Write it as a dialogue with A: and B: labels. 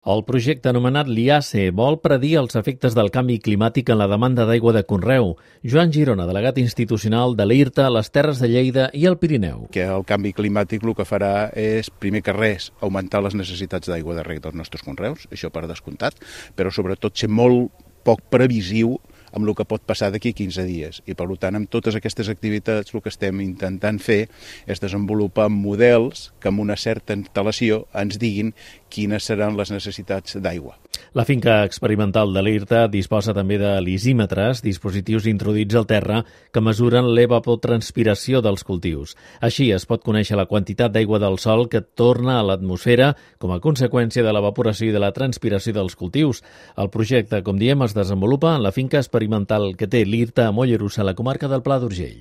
A: El projecte anomenat LIACE vol predir els efectes del canvi climàtic en la demanda d'aigua de conreu. Joan Girona, delegat institucional de l'IRTA a les Terres de Lleida i el Pirineu.
B: Que el canvi climàtic el que farà és, primer que res, augmentar les necessitats d'aigua de reg dels nostres conreus, això per descomptat, però sobretot ser molt poc previsiu amb el que pot passar d'aquí 15 dies. I, per tant, amb totes aquestes activitats el que estem intentant fer és desenvolupar models que amb una certa antelació ens diguin quines seran les necessitats d'aigua.
A: La finca experimental de l'IRTA disposa també de lisímetres, dispositius introduïts al terra que mesuren l'evapotranspiració dels cultius. Així es pot conèixer la quantitat d'aigua del sol que torna a l'atmosfera com a conseqüència de l'evaporació i de la transpiració dels cultius. El projecte, com diem, es desenvolupa en la finca experimental que té l'IRTA a Mollerussa, a la comarca del Pla d'Urgell.